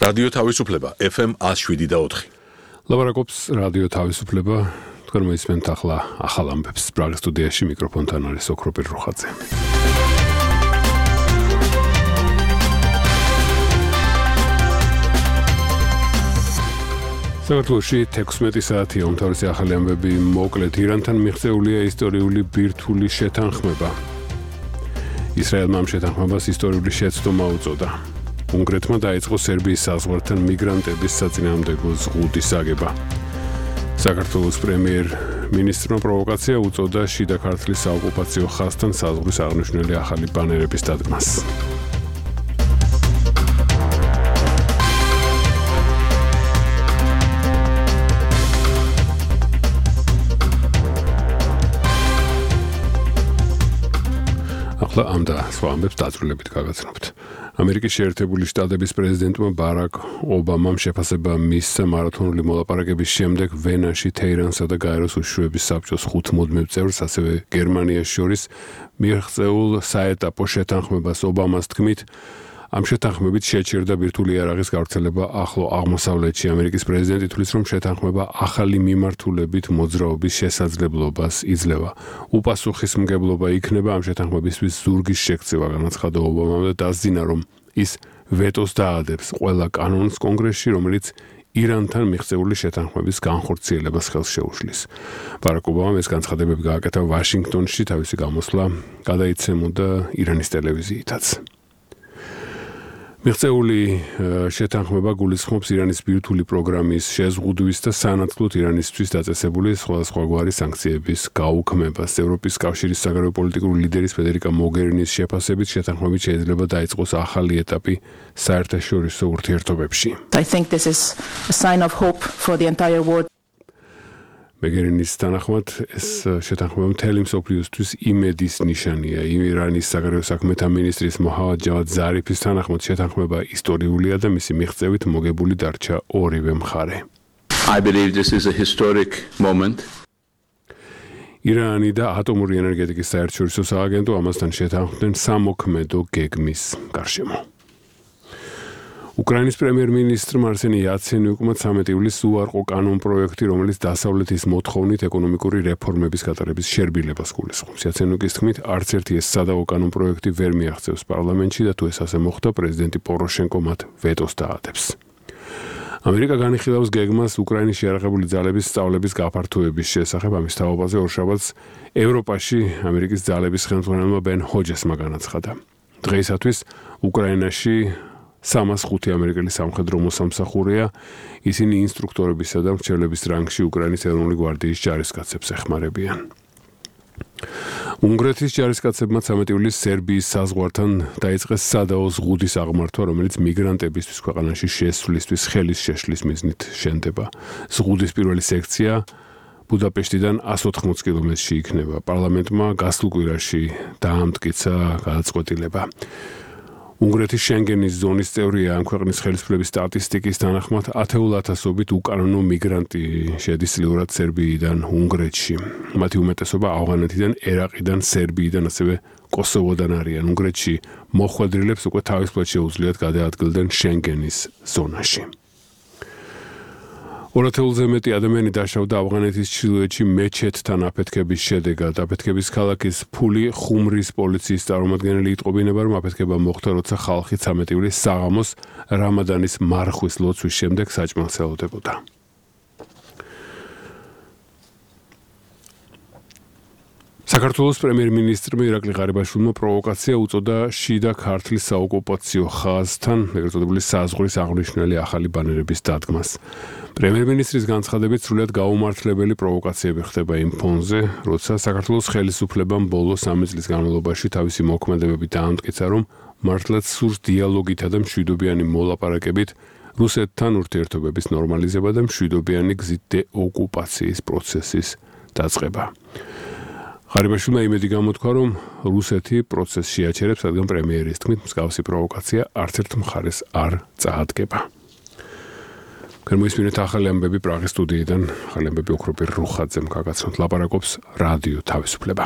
რადიო თავისუფლება FM 107.4. ლაპარაკობს რადიო თავისუფლება. თქვენ მოისმენთ ახლა ახალ ამბებს. პრაღის სტუდიაში მიკროფონთან არის ოქროპირ რუხაძე. საქართველოში 16 საათია უმთავრესი ახალი ამბები. მოკლედ, ირანთან მიღწეულია ისტორიული ბირთვული შეთანხმება. ისრაელმა ამ შეთანხმებას ისტორიული შეცდომა უწოდა. უნგრეთმა დაიწყო სერბიის საზღვართან მიგრანტების საწინააღმდეგო ზღუდის აგება. საქართველოს პრემიერ-მინისტრმა პროვოკაცია უწოდა შიდა ქართლის საოკუპაციო ხაზთან საზღვრის აღნიშნული ახალი ბანერების დადგმას. ახლა ამ და სხვა ამბებს დაწვრილებით გაგაცნობთ. ამერიკის შეერთებული შტატების პრეზიდენტმა ბარაკ ობამამ შეფასება მისცა მარათონული მოლაპარაკების შემდეგ ვენაში, თეირანსა და გაეროს უშუალების საბჭოს 5 მუდმივ წევრს, ასევე გერმანიას შორის მიღწეულ საეტაპო შეთანხმებას. ობამას თქმით, ამ შეთანხმებით შეჩერდა ბირთვული იარაღის გავრცელება ახლო აღმოსავლეთში. ამერიკის პრეზიდენტი თვლის, რომ შეთანხმება ახალი მიმართულებით მოძრაობის შესაძლებლობას იძლევა. უპასუხისმგებლობა იქნება ამ შეთანხმებისთვის ზურგის შექცევა, განაცხადა ობამამ და დასძინა, რომ ის ვეტოს დაადებს ყველა კანონს კონგრესში, რომელიც ირანთან მიღწეული შეთანხმების განხორციელებას ხელს შეუშლის. ბარაკ ობამამ ეს განცხადებები გააკეთა ვაშინგტონში, თავისი გამოსვლა გადაიცემოდა ირანის ტელევიზიითაც. მიღწეული შეთანხმება გულისხმობს ირანის ბირთვული პროგრამის შეზღუდვის და სანაცვლოდ ირანისთვის დაწესებული სხვადასხვაგვარი სანქციების გაუქმებას. ევროპის კავშირის საგარეო პოლიტიკური ლიდერის ფედერიკა მოგერინის შეფასებით შეთანხმებით შეიძლება დაიწყოს ახალი ეტაპი საერთაშორისო ურთიერთობებში. I think this is a sign of hope for the entire world. მეგერინის თანახმად ეს შეთანხმება მთელი მსოფლიოსთვის იმედის ნიშანია. ირანის საგარეო საქმეთა მინისტრის მოჰავად ჯავად ზარიფის თანახმად შეთანხმება ისტორიულია და მისი მიღწევით მოგებული დარჩა ორივე მხარე. I believe this is a historic moment. ირანი და ატომური ენერგეტიკის საერთაშორისო სააგენტო ამასთან შეთანხმდნენ სამოქმედო გეგმის გარშემო. უკრაინის პრემიერ-მინისტრმა არსენი იაცენიუკმა 13 ივლისს უარყო კანონპროექტი, რომელიც დასავლეთის მოთხოვნით ეკონომიკური რეფორმების გატარების შერბილებას გულისხმობს. იაცენიუკის თქმით, არც ერთი ეს სადავო კანონპროექტი ვერ მიაღწევს პარლამენტში და თუ ეს ასე მოხდა, პრეზიდენტი პოროშენკო მათ ვეტოს დაადებს. ამერიკა განიხილავს გეგმას უკრაინის შეიარაღებული ძალების სწავლების გაფართოების შესახებ. ამის თაობაზე ორშაბათს ევროპაში ამერიკის ძალების ხელმძღვანელმა ბენ ჰოჯესმა განაცხადა. დღეისათვის უკრაინაში 305 ამერიკელი სამხედრო მოსამსახურეა. ისინი ინსტრუქტორებისა და მრჩევლების რანგში უკრაინის ეროვნული გვარდიის ჯარისკაცებს ეხმარებიან. უნგრეთის ჯარისკაცებმა 13 ივლისს სერბიის საზღვართან დაიწყეს სადაო ზღუდის აღმართვა, რომელიც მიგრანტებისთვის ქვეყანაში შესვლისთვის ხელის შეშლის მიზნით შენდება. ზღუდის პირველი სექცია ბუდაპეშტიდან 180 კილომეტრში იქნება. პარლამენტმა გასულ კვირაში დაამტკიცა გადაწყვეტილება. უნგრეთის შენგენის ზონის წევრია. ამ ქვეყნის ხელისუფლების სტატისტიკის თანახმად 10,000-ობით უკანონო მიგრანტი შედის წლიურად სერბიიდან უნგრეთში. მათი უმეტესობა ავღანეთიდან, ერაყიდან, სერბიიდან, ასევე კოსოვოდან არიან. უნგრეთში მოხვედრილებს უკვე თავისუფლად შეუძლიათ გადაადგილდნენ შენგენის ზონაში. 200-ზე მეტი ადამიანი დაშავდა ავღანეთის ჩრდილოეთში მეჩეთთან აფეთქების შედეგად. აფეთქების ქალაქის ფული ხუმრის პოლიციის წარმომადგენელი იტყობინება, რომ აფეთქება მოხდა, როცა ხალხი 13 ივლისს საღამოს რამადანის მარხვის ლოცვის შემდეგ საჭმელს ელოდებოდა. საქართველოს პრემიერ-მინისტრმა ირაკლი ღარიბაშვილმა პროვოკაცია უწოდა შიდა ქართლის საოკუპაციო ხაზთან, ეგრეთ წოდებული საზღვრის აღნიშნული ახალი ბანერების დადგმას. პრემიერ-მინისტრის განცხადებით, სრულიად გაუმართლებელი პროვოკაციები ხდება იმ ფონზე, როცა საქართველოს ხელისუფლებამ ბოლო 3 წლის განმავლობაში თავისი მოქმედებები დაამტკიცა, რომ მართლაც სურს დიალოგითა და მშვიდობიანი მოლაპარაკებით რუსეთთან ურთიერთობების ნორმალიზება და მშვიდობიანი გზით დეოკუპაციის პროცესის დაწყება. ღარიბაშვილმა იმედი გამოთქვა, რომ რუსეთი პროცესში აჩერებს, რადგან პრემიერის თქმით, მსგავსი პროვოკაცია არც ერთ მხარეს არ წაადგება. Moismine ახალი ამბები პრაღის სტუდიიდან, ახალი ამბები ოქროპირ რუხაძემ გაგაცნოთ, ლაპარაკობს რადიო თავისუფლება.